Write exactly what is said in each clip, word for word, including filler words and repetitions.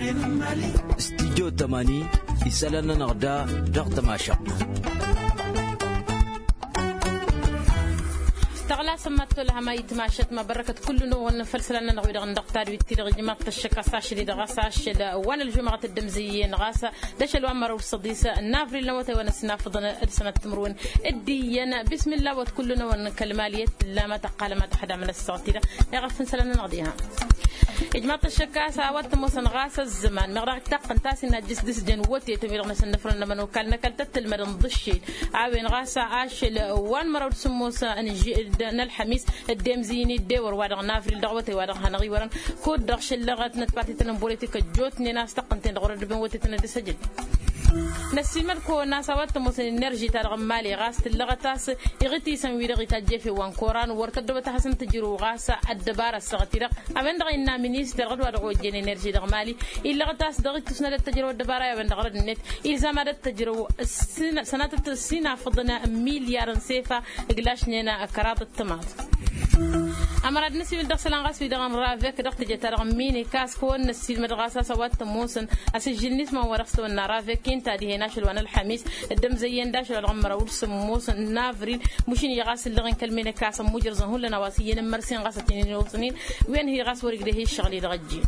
Studyo tămani isălan-nănăɣ da dăɣ-tămašăɣt. Tăɣlasăm ma t-olăhăm a itmašăt ma bărăkăt kullu-năwăn făll-isălan-nănăɣ wi-dăɣ n-dăɣ tadwit-ti-dăɣ ijmaḍ-t ăššăk a-s ašăl-i-dăɣ a-s ašăl wa n-ălžumăɣăt dd-ămzăyyăn ɣas d-ašăl wa n-măraw d-săḍis n-avril n-awătay wa n-ăssinafăḍăn d-sănăt timǝrwen. D-iyyăn bismilla wăt kullu-năwăn kăl-mali i-tǝlla ma tăqqalăm ad-tăxdamăn ăssaɣt-i-dăɣ. Iɣăf n-isălan-nănăɣ diha. Ijmaḍ-t ăššăk a-s a-wa t-ămoosăn ɣas ăzzăman meɣ dăɣ-taqqǝnt a-s innă ăjjǝs d-asjăn wătetăn wi-dăɣ n-asǝnnăfrăn n-ămănokal n-ăkall tăt-tǝlmăd n-iḍǝššel a-wen ɣas ašăl wa n-măraw d-sǝmmos n-židda n-ălxămis dd-emzǝyǝn-dd ewăr wa dăɣ-navril dăɣ-awătay wa dăɣ-hanăɣ-iwărăn. Kud-dăɣ šăllăɣăt n-ătpartităn n-bolătik ăjjootnen a-s tăqqǝnten dăɣ-wăr ăddăben wătetăn ad-dd-săjǝd. Năssiilmăd-kăwăn a-s a-wa t-ămoosăn enerži-ta-dăɣ n-mali ɣas tǝllăɣăt a-s iɣǝtisăn-wi-dăɣ itajj efew wa n-koran wăr tăddobăt ad-hasăn-tǝjrǝw ɣas ăddăbara ăssaɣăt-i-dăɣ. A-wen-dăɣ a innă ministăr ɣǝd-wa-dăɣ ojjen enerži dăɣ-mali illăɣăt a-s dăɣ-ittus n-ad-ăttăjrăw ăddăbara i-a-wen-dăɣ rădd-net. Ilzam ad-ăttăjrăw sănatăt ăssinafăḍăn n-milyar n-sefa ǝglašnen kăraḍ ăttămaḍ. Ămăra d-năsiwǝl dăɣ-isălan ɣas wi-dăɣ n-ravek dăɣ-teje-ta-dăɣ n-minik a-s kăwăn-năssiilmăd ɣas a-s a-wa t-ămoosăn asǝžžǝl n-isman wa dăɣ-s tăwănna ravek inta dihen ašăl wa n-ălxămis dd-ămzăyyăn d-ašăl wa dăɣ-măraw d-sǝmmos n-avril. Mušin-i ɣas ǝllăɣ-in kăl-minik a-s ămmujrăẓăn hullan a-wa s-iyyăn n-mărsen ɣas ătinen ăwăsnen. Wen-hi ɣas wăr-igdeh i-ǝššăɣǝl-i-dăɣ ăjjeen.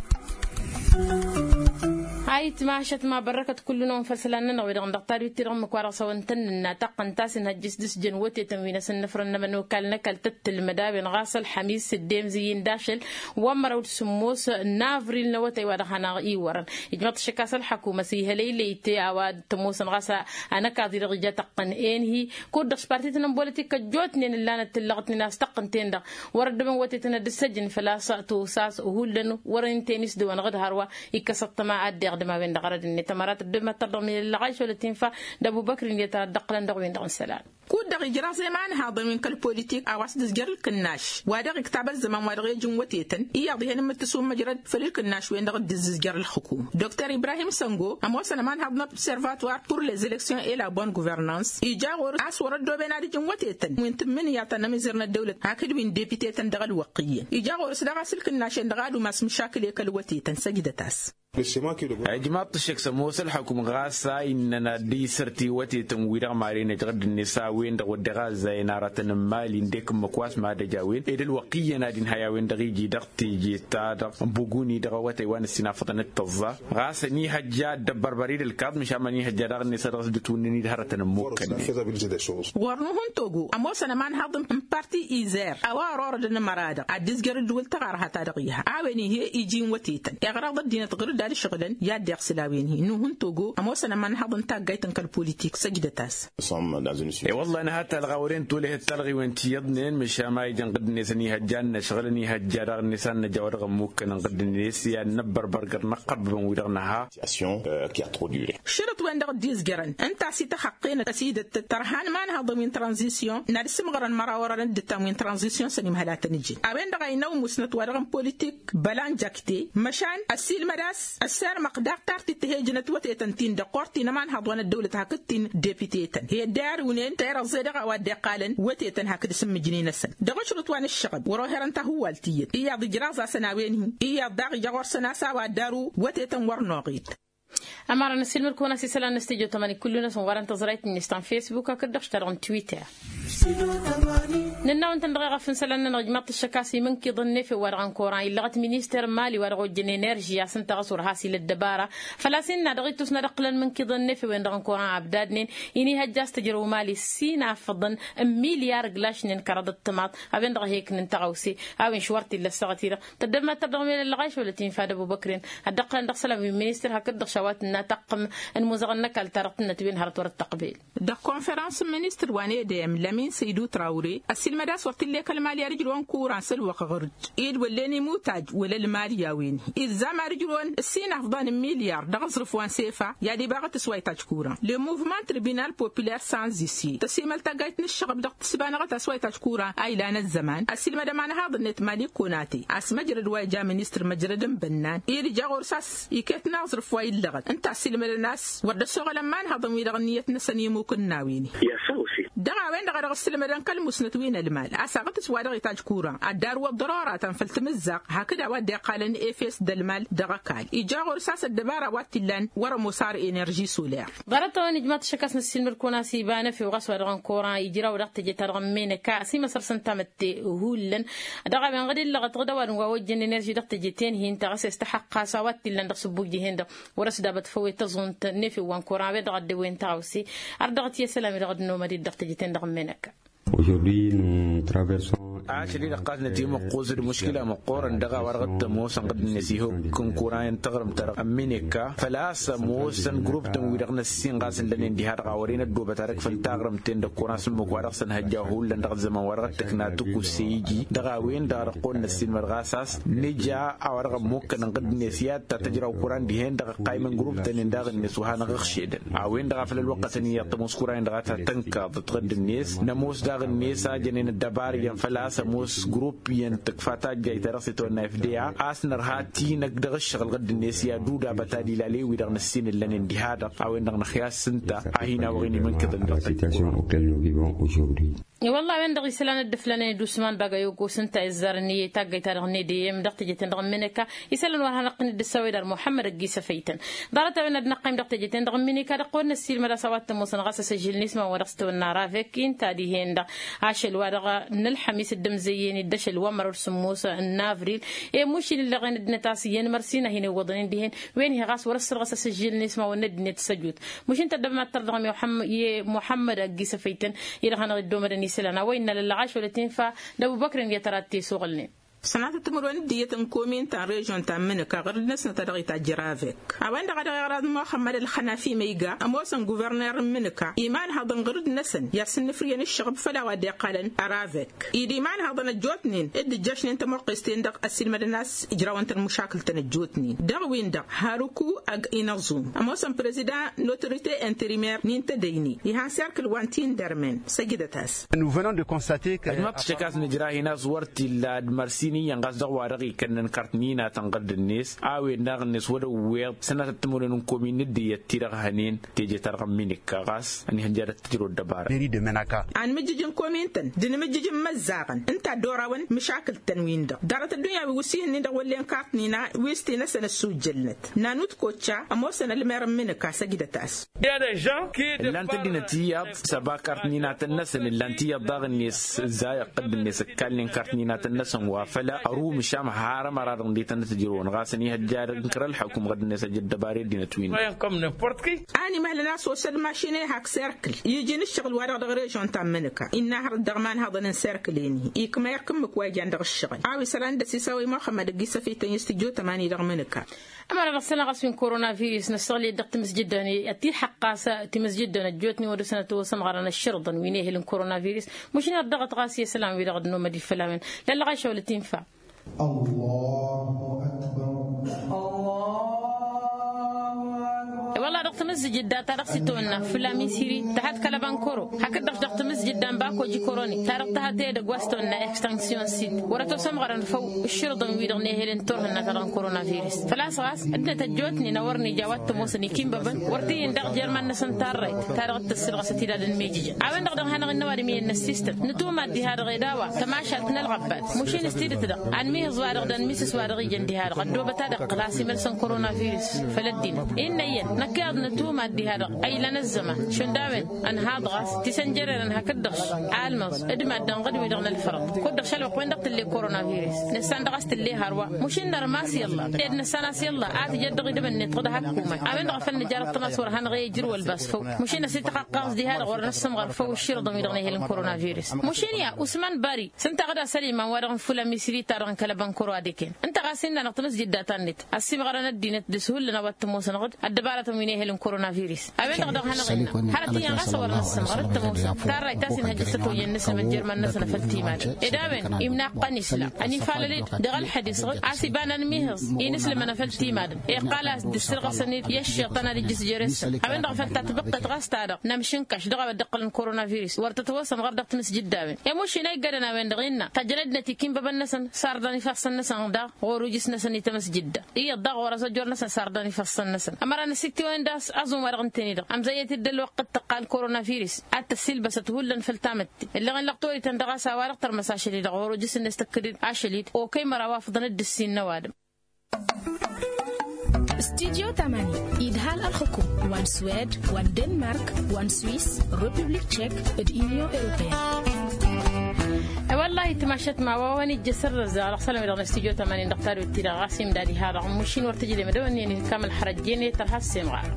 Ayǝtmašăt ma bărrăkăt kullu-năwăn făll-isălan-nănăɣ wi-dăɣ n-dăɣ tadwit-ti-dăɣ ǝmmǝk wa dăɣ-s a-wăn tăn-nǝnna taqqăn ta s-inhăjjǝs d-asǝjjăn wătetăn wi n-asǝnnăfrăn n-ămănokal n-ăkall tăt-tǝlmăd a-wen ɣas ălxămis dd-emzǝyy-in d-ašăl wa n-măraw d-sǝmmos n-avril n-awătay wa dăɣ-hanăɣ-iwărăn. Ijmăḍ-t šăkk a-s ălxăkumăt ihălăylăy-te a-wa t-ămoosăn ɣas anăkaḍ-i-dăɣ ija tăqqăn enhi kud-dăɣ s-partit n-ănbolitik ăjjootnen ǝllanăt tǝllăɣătnen a-s tăqqǝnten-dăɣ wăr-ăddăbăn wătetăn ad-dd-săjǝn făl-a-s tusa s-hullan wăr-ǝnta i-nisdǝwăn ɣǝd hărwa. Ikkăs ăṭṭăma ad-dd-iɣdǝm a-wen-dăɣ rădd-net ămăra tăddobem ad-tărdăɣ milăllăɣ a išolăt infa d-ăbubăkr-in i-ad-tăra dd-ăqqǝlăn dăɣ-wen-dăɣ n-isălan. Kud-dăɣ ijraẓ i-imanhaḍăn wi n-kăl-politik a-wa s-dd-ǝzjăr ǝlkǝnnaš wa dăɣ-iktab ăzzăman wa dăɣ-ej n-wătetăn iyyăḍ ih'-en ǝmmǝttǝs wa n-măjrăd făll-ǝlkǝnnaš-wen-dăɣ dd-ǝzzǝzjăr ălxǝkum. Dr ibrahim săngo ămoosăn ămanhaḍ n-observatoire pour les élections et la bonne gouvernance ija ɣur-s a-s wăr-ăddooben ad-ǝjǝn wătetăn wi n-tǝmmǝnǝya ta n-amizăr n-ăddăwlăt hakd wi n-depite-tăn dăɣ-ălwăqq iyyăn ija ɣur-s daɣ a-s ǝlkǝnnašen-dăɣ ad-umas măšakǝl i-kăl-wătetăn săjdăt-as. Ijmaḍ-t ăššăk s-ămoos ălxukǝm ɣas a innăn ad-dd-isăr tiwătetăn-wi-dăɣ maren ejăɣ dd-net a-wen-dăɣ wădden ɣazzayăn aratăn n-imali ǝndek ǝmmǝk wa s-mad-ăj a-wen ed ălwăqq iyyăn ad-inhay a-wen-dăɣ iji dăɣ-teje-ta-dăɣ n-buguni dăɣ-awătay wa n-ăssinafăḍăn d-tăẓẓa. Ɣas ănihăjja ad-dd-ăbbărbăr-dd ălkaḍ măšan ma ănihăjja daɣ-net a dăɣ-s dd-ătwǝnnǝn-dd hărătăn ămmukkănnen. Wăr nuhǝntogo ămoosăn ămanhăḍ n-parti izer a-wa ărorădăn ămăra-dăɣ ad-dd-izjăr ǝddǝwǝl tăɣarha ta dăɣ-iha a-wen ih'-e iji n-wătetăn iɣrăḍ ăddinăt ɣǝr-dd ad-ǝšɣǝlăn i-ad-dd-iɣsǝl a-wen-hi nuhǝntogo ămoosăn ămanhăḍ n-taggayt n-kăl-politik săjdăt-as. E-wălla-hi nǝha talɣa wăren tolăhet talɣiwen ti iyyăḍnen măšan ma ijăn ɣǝdd-net ănihăjja ad-năšɣǝl ănihăjja daɣ-net ad-năj a-wa dăɣ-ămmukkănăn ɣǝdd-net i-ad-năbbărbăr găr-năqqărbăbăn-wi-dăɣ nǝha. Šărǝt-wen-dăɣ dd-izjărăn ǝnta a-s ităxăqqen ăsidăt tărha n-imanhăḍăn wi n-tranzisyon n-ad-sǝmɣărăn măraw orănăn dd-ǝttam wi n-tranzisyon săn imhăl a tăn-ǝjǝn a-wen-dăɣ a innă umusnăt wa dăɣ-n politik bălanjakte măšan ăssiilmăd a-s ăssirmăɣ daɣ tartit tihejnăt wătetăn-tin-dăɣ korti n-ămanhăḍ wa n-ăddăwlăt hakd-tin depite-tăn hi-ădday arǝwnen terăẓẓe dăɣ-a-wa dd-iqqalăn wătetăn hakd isǝmmǝjnen-năsăn dăɣ-ašrǝt wa n-ǝššăɣăb wăr-oherăn tahǝwwalt iyyăt iyyăḍ ijraẓ-asăn a-wen-hi iyyăḍ daɣ ija ɣur-săn a-s a-wa dd-arǝw wătetăn wăr noɣet. Ămărăn ăssiilmăd-kăwăn a-s isălan n-stujo tămani kullu-năsăn wărăn tăẓrayt-net ta n-fesbuk hakd dăɣ-š ta dăɣ-n twitter. Nǝnna-wăn-tăn dăɣ-eɣăf n-isălan-nănăɣ ijmaḍ-t ăššăk a-s imǝnkǝḍăn n-efew wa dăɣ-ănkoran illăɣăt minister n-mali wa dăɣ-ojjăn enerži a-s ǝnta ɣas wăr has-ila ăddăbara. Făl-a-s innă dăɣ-ittus n-ad-ǝqqǝlăn imǝnkǝḍăn n-efew-en dăɣ-ănkoran abdadnen inihăjja a-s tǝjrăw mali s-inafăḍăn n-milyar ǝglašnen kăraḍăt timaḍ. A-wen-dăɣ a he-ǝknǝn tăɣawse a-wen š-wăr t-illa ăssaɣăt-i-dăɣ tăddăbmăt tărdăɣ mel ăllăɣayš wăla t-infa d-ăbubăkren. Ad-dd-ăqqălăn dăɣ-isălan wi n-ministăr hakd-dăɣ š-a-wa tǝnna taqqǝm n-imuzăɣăn n-ăkall-ta-dăɣ tǝnnăt wen hărăt wăr dd-tăqbel. Dăɣ-konferăns n-ministăr wa n-edeyăm lămin săydu trawre ăssiilmăd a-s wăr t-illa i-kăl-mali ad-ǝjrǝwăn kuran s-ălwăqq ɣur-dd ed wăllen imutaj wăla ălmali a-wen-hi ilzam ad-ǝjrǝwăn ăsinafḍan n-milyar dăɣ-aẓrǝf wa n-sefa i-ad-ibaɣăt s-wa itaj kuran le muvman tribunal populăr sanzisi tăsimăl taggayt n-ǝššăɣăb dăɣ-tǝsbanăɣăt a-s wa itaj kuran a ilan ăzzăman ăssiilmăd ămanhaḍ-net mali konate a-s măjrăd wa ija ministăr măjrăd n-bănnan ed ija ɣur-s a-s iket n-aẓrǝf wa illăɣăt. Tasilmădăn a-s wăr dd-ăssoɣălăn imanhăḍăn-wi-dăɣ ǝnniyăt-năsăn i-imuk n-a-win-i. Dăɣ-a-wen-dăɣ a dăɣ-ăssilmădăn kăl-musnăt wi n-ălmal a-s aɣǝtǝs wa dăɣ-itajj kuran ad-darǝwăḍ ḍărora-tăn făll-tamǝzzaɣt hakd a-wa dd-iqqalăn efes d-ălmal dăɣ-ăkall ija ɣur-s a-s ăddăbara wa t-illan wăr-ămoos ar enerži soler. Ḍarăt-a-wen ijmaḍ-t ašăk a-s năssiilmăd-kăwăn a-s iba n-efew ɣas wa dăɣ-n kuran ijraw dăɣ-teje-ta-dăɣ n-menăka a-s imăsăr s-ǝntamătte hullan. Dăɣ-a-wen ɣǝd illăɣăt ɣǝd ăwadǝm wa ojjăn enerži dăɣ-teje-ten-hi-ǝnta ɣas i-s tăxăqqas a-wa t-illan dăɣ-sǝbbuj dihen-dăɣ wăr-ăsdabăt făw i-tăẓunt n-efew wa n-kuran a-wen-dăɣ a dd-ewwen taɣawse. Ărdăɣăt i-isălan-wi-dăɣ ăddinăwmăd-dd dăɣ-teje-ten-dăɣ n-menăka. Aujourd'hui nous traversons. Ašăl-i-dăɣ ɣas nătimăqqus d-muškila măqqoorăn dăɣ-a-wa dăɣ-t-ămoosăn ɣǝdd-net ihukk n-kuran n-taɣrǝmt-ta-dăɣ ămminekka făl-a-s ămoosăn grup-tăn wi-dăɣ n-ăssin ɣas ǝllănen diha-dăɣ a wăren ăddoobăt arǝk făll-taɣrǝmt-ten dăɣ-kuran s-ǝmmǝk wa dăɣ-săn hăjja hullan dăɣ-ăzzăman wa dăɣ-t-ǝkna tǝkusse iji dăɣ-a-wen-dăɣ a dăɣ-kăwăn-năssinmăd ɣas a-s nǝja a-wa dăɣ-ămmukkănăn ɣǝdd-net i-ad-ta tăjraw kuran dihen-dăɣ ăqqaymăn grup-tăn-in daɣ-net wa hanăɣ-ǝxšedăn a-wen-dăɣ a făl ălwăqqătăn iyyăḍ tămoos kuran-in dăɣ-a ta tănkăḍăt ɣǝdd-net. Nămoos daɣ-net a jănen ăddăbar iyyăn făl-a-s ămoos grup iyyăn tǝkfa tajjayt ta dăɣ-s itwănna fda a-s nărha tinăk dăɣ-ǝššăɣǝl ɣǝdd-net i-ad-udabăt ad-ilale-wi-dăɣ năssin ǝllănen diha-dăɣ a-wen-dăɣ năxyas s-ǝnta a hin-awăɣen imǝnkǝḍăn dăɣ-tăjj. I-wălla a-wen-dăɣ isălan dd-ǝflanen d-usman bagayogo s-ǝnta izzarăn i-taggayt-ta-dăɣ n-edeyem dăɣ-teje-ten-dăɣ n-menăka isălan wa hanăɣ-tăn-dd-ǝssawăy d-ar muḥămmăd ăgg-isăfăy-tăn. Ḍarăt-a-wen ad-năqqăym dăɣ-teje-ten-dăɣ n-menăka dăɣ-kăwăn-năssiilmăd a-s a-wa t-ămoosăn ɣas asǝžžǝl n-isman wa dăɣ-s tawănna ravek inta dihen-dăɣ ašăl wa dăɣ-nălḥămis dd-ămzăyyăn-dd ašăl wa măraw d-sǝmmos n-avril. I-mušil ǝllăɣen ăddinăt a-s iyyăn mărsina hin-iwwăḍăn-in dihen wen-hi ɣas wăr-ăssărɣăs asǝžžǝl n-isman wa n-ăddinăt s-ăjut. Mušin tăddăbmat tărdăɣ i-muḥămmăd ăgg-isăfăy-tăn i-dăɣ hanăɣ-dd-omădăn isălan a-wa innă lăllăɣ ašăl ătinfa d-ăbubăkr-in i-ad-tăra t-tesuɣǝlnen. Sănatăt timǝrwen d-iyyăt n-komin ta n-režion ta n-mǝnǝka ɣur-dd-năsnăt a dăɣ-itajj ravek a-wen-dăɣ a dăɣ-iɣrăḍ muxămmăd ălxănafi ma iga ămoosăn guverner n-mǝnǝka imanhăḍăn ɣur-dd-năsăn i-ad-sǝnnǝfrǝyăn ǝššăɣb făll-a-wa dd-iqqalăn ravek. Id imanhăḍăn ăjjootnen dd-ǝjjăšnen tamăqqest-en-dăɣ ăssiilmădăn a-s ǝjrawăn-tăn măšakǝl-tăn ăjjootnen dăɣ-win-dăɣ haruku ăgg-inăẓum ămoosăn prezidan n-autorite interimer n-intădăyne ihan serkǝl wa n-tindermen săjdăt-as. Ăjmaḍ-t ăššăk a-s nǝjrahin a-s wăr t-illa d-mărsin iyyăn ɣas dăɣ-wa-dăɣ ikănnăn kart n-inatăn ɣǝdd-net a-wen daɣ-net wăr ăwweḍ sănatăt timǝrwen n-komin n-dd-iyyăt ti-dăɣ hănen teje-ta-dăɣ n-minikka ɣas ănihăjja dăɣ-tijrăw d-ăbara. Anmǝjjǝj n-komin-tăn d-inmǝjjǝj n-imăzzaɣăn ǝnta a dd-orawen măšakǝl-tăn-win-dăɣ ḍarăt ăddunya wi wǝssin-nin-dăɣ wăllen kart n-ina wi s-ti-năsăn ăssujjălnăt. Nanut kocca ămoosăn ălmer n-imǝnǝka săjdăt-as. Ǝllan-t ăddinăt iyyăḍ s-ăba kart n-inatăn-năsăn ǝllan-t iyyăḍ daɣ-net ǝzzayăɣ ɣǝdd-net ǝkkalnen kart n-inatăn-năsăn wa făl ărumǝšam har ămăra-dăɣ ǝndităn d-tǝjrăwăn ɣas ănihăjja dăɣ-inkăr ălḥăkum ɣǝdd-net ăj ăddăbar i-ăddinăt-win. Animăhlăn a-s osăd mašin ehak serkǝl iji n-ǝššăɣǝl-wa-dăɣ dăɣ-režion ta n-imǝnǝka innă hărăt dăɣ-imanhăḍăn n-serkǝl-en-hi ikma irk ǝmmǝk wa ijan dăɣ-ǝššăɣǝl a-wa isălan d-ăsisăwăy muxămmăd ăgg-isăfităn i-s tǝjjot ămani dăɣ-imǝnǝka. Ămăra dăɣ-săn ɣas wi n-korona virus năssăɣled dăɣ-timǝzjǝddăn i-ad-t-id-xăqqas timǝzjǝddăn ăjjootnen wăr-dăɣ-săn ătwăsămɣărăn ăššărǝḍăn wi n-ehel n-korona virus. Măšin ărdăɣăt ɣas i-isălan-wi-dăɣ d-nomădif făll-a-wen lăllăɣ ašăwălăt infa. I-wălla dăɣ-timǝzjǝdda ta dăɣ-s itwănna fǝlla misiri tăhăt kăl-ăbankăro hakd-dăɣ dăɣ-timǝzjǝdda n-bako jikoroni ta dăɣ-tăhăt edăgg wa s-tawănna extension sit wăr-ătosămɣărăn făw ǝššǝrǝḍăn-wi-dăɣ n-ehel n-turhǝnna ta dăɣ-n korona virus. Făl-a-s ɣas ăddinăt ăjjootnen a wăr nǝja a-wa t-ămoosăn ikinbăbăn wăr t-iyǝn daɣ jer-iman-năsăn tarrayt ta dăɣ-t-tăssǝlɣăsăt idad n-imijǝjăn a-wen-dăɣ dăɣ-hanăɣ-innă ăwadǝm iyyăn n-ăssistăn nǝtumad diha-dăɣ ed a-wa tămašalt n-ălɣăbbat. Măšin s-tidǝt-dăɣ anmihǝẓ-wa-dăɣ d-anmisǝs-wa-dăɣ ijăn diha-dăɣ ăddoobăt ad-iqqǝl a-s imălsăn korona virus. Făll-ăddinăt innă iyyăn năkk iyyăḍ nǝtumad diha-dăɣ a ilan ăzzăman šund a-wen ănhaḍ ɣas tisănjărerăn hakd-dăɣ almăẓ d-maddǝn ɣǝd-wi-dăɣ n-ălfărăḍ kud-dăɣ šalwăqq-wen-dăɣ tǝlle korona virus. Nǝssan-dăɣ a-s tǝlle hărwa măšin nărmas i-ălla ed nǝssan a-s i-ălla a tǝjăt dăɣ-idǝm-net ɣǝd hakkuman. A-wen-dăɣ a făl nǝjarăt tămas wăr hanăɣ-e ijrǝw ălbas făw. Măšin ăsităqqăɣ ɣas diha-dăɣ wăr nǝssămɣăr făw ǝšširǝḍăn-wi-dăɣ n-ehel n-korona virus. Măšin i-a usman bari s-ǝnta ɣǝd asăl iman wa-dăɣ n-fula misri-ta-dăɣ n-kăl-ăbănkăro ad-eken ǝnta ɣas innă-năɣ tămăsjǝdda ta-net ăssiimɣărăn ăddinăt dăɣ-s hullan a-wa t-ămoosăn ɣǝd ăddăbaratăn wi n-ehel n-korona. Koronavirus a-wen-dăɣ dăɣ-hanăɣ-innă hărăt iyyăn ɣas a wărăn ǝssǝmɣăr d-tămoosăn tarrayt a-s inhăjjăš tăt-oyyăn-năsăn măjjărman-năsăn a făl timadăn ed a-wen imnaqqăn isla ănifalăl-dd dăɣ-ălxădis ɣǝd a-s iba n-anmihǝẓ inǝslǝmăn a făl timadăn iqqal a-s dd-ǝssǝlɣǝsăn-dd i-ăššiḍ tăn-ad-ijjǝs jer-esăn a-wen-dăɣ a făl ta tibǝqqet ɣas ta-dăɣ n-amšǝnkaš dăɣ-a-wa dd-iqqălăn koronavirus wăr tăt-wăsăn ɣur-dăɣ timǝsjǝddawen i-mušin a iggadăn a-wen-dăɣ innă tajjănădnăt ikinbăbăn-năsăn sarḍan ifassăn-năsăn daɣ ɣur-ujǝs-năsăn i-tamǝsjǝdda iyyăḍ daɣ ɣur-azăjjor-năsăn sarḍan ifassăn-năsăn ămăra năsiktǝwăn-dd a-s aẓum-wa-dăɣ ǝnta-en-dăɣ amzăyyăt-dd ălwăqq d-tăqqal koronavirus ad-tăssilbăsăt hullan făll-tamǝtte ǝlleɣ-in lăqtorităn dăɣ-a-s a-wa-dăɣ tărmăs ašăl-i-dăɣ ɣur-ujǝs-net tăkk-dd ašăl-i-dd okăy măraw afḍăn dd-ǝssin n-ăwadǝm. Studyo tămani idhal ălxǝkum wa n-swed wa n-denmark wa n-swis, republik tšek, d-unyon europeyăn. I-wăllahi timašat ma wa wa n-ijjăsăr dăɣ-s dăɣ-s alămedăɣ n-studyo tămani dăɣ-tadwit-ti-dăɣ ɣas imdad iha dăɣ-mušin wăr tǝjlem d-ăwănnen ikam ălxărăjjen i-tărha s-semɣar.